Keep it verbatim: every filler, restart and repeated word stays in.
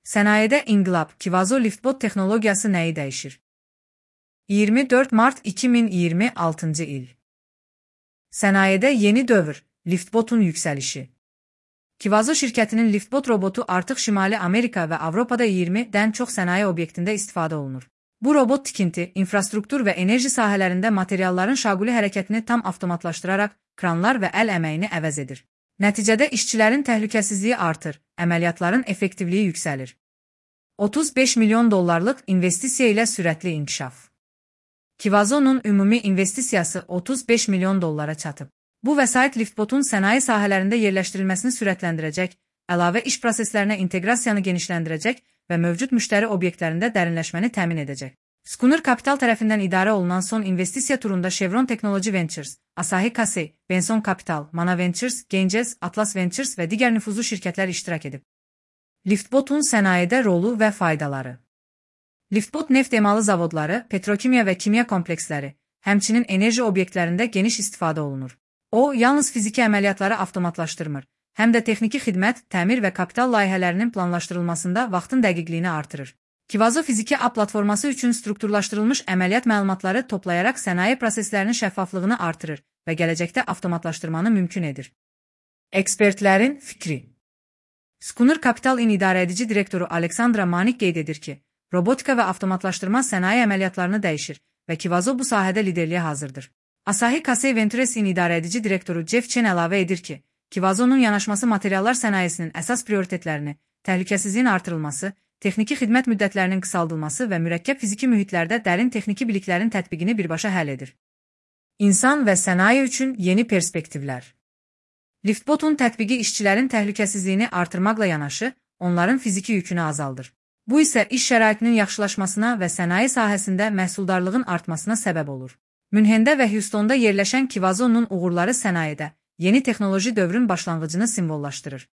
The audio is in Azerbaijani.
Sənayedə inqilab, Kivazo Liftbot texnologiyası nəyi dəyişir? iyirmi dörd mart iki min iyirmi altıncı il. Sənayedə yeni dövr, Liftbotun yüksəlişi. Kivazo şirkətinin Liftbot robotu artıq Şimali Amerika və Avropada iyirmidən çox sənaye obyektində istifadə olunur. Bu robot tikinti, infrastruktur və enerji sahələrində materialların şaquli hərəkətini tam avtomatlaşdıraraq kranlar və əl əməyini əvəz edir. Nəticədə işçilərin təhlükəsizliyi artır, əməliyyatların effektivliyi yüksəlir. otuz beş milyon dollarlıq investisiya ilə sürətli inkişaf. Kivazonun ümumi investisiyası otuz beş milyon dollara çatıb. Bu vəsait Liftbotun sənaye sahələrində yerləşdirilməsini sürətləndirəcək, əlavə iş proseslərinə inteqrasiyanı genişləndirəcək və mövcud müştəri obyektlərində dərinləşməni təmin edəcək. Schooner Capital tərəfindən idarə olunan son investisiya turunda Chevron Technology Ventures, Asahi Kasei, Benson Capital, Mana Ventures, Ganges, Atlas Ventures və digər nüfuzlu şirkətlər iştirak edib. Liftbotun sənayedə rolu və faydaları. Liftbot neft emalı zavodları, petrokimya və kimya kompleksləri, həmçinin enerji obyektlərində geniş istifadə olunur. O, yalnız fiziki əməliyyatları avtomatlaşdırmır, həm də texniki xidmət, təmir və kapital layihələrinin planlaşdırılmasında vaxtın dəqiqliyini artırır. Kivazo fiziki A platforması üçün strukturlaşdırılmış əməliyyat məlumatları toplayaraq sənaye proseslərinin şəffaflığını artırır və gələcəkdə avtomatlaşdırmanı mümkün edir. Ekspertlərin fikri. Schooner Capital-in idarəedici direktoru Aleksandra Manik qeyd edir ki, robotika və avtomatlaşdırma sənaye əməliyyatlarını dəyişir və Kivazo bu sahədə liderliyə hazırdır. Asahi Kasei Ventures'in idarəedici direktoru Jeff Chen əlavə edir ki, Kivazonun yanaşması materiallar sənayesinin əsas prioritetlərini, təhlükəsizliyin artırılması, texniki xidmət müddətlərinin qısaldılması və mürəkkəb fiziki mühitlərdə dərin texniki biliklərin tətbiqini birbaşa həll edir. İnsan və sənaye üçün yeni perspektivlər. Liftbotun tətbiqi işçilərin təhlükəsizliyini artırmaqla yanaşı, onların fiziki yükünü azaldır. Bu isə iş şəraitinin yaxşılaşmasına və sənaye sahəsində məhsuldarlığın artmasına səbəb olur. Münhendə və Houstonda yerləşən Kivazonun uğurları sənayedə yeni texnoloji dövrün başlanğıcını simvollaşdırır.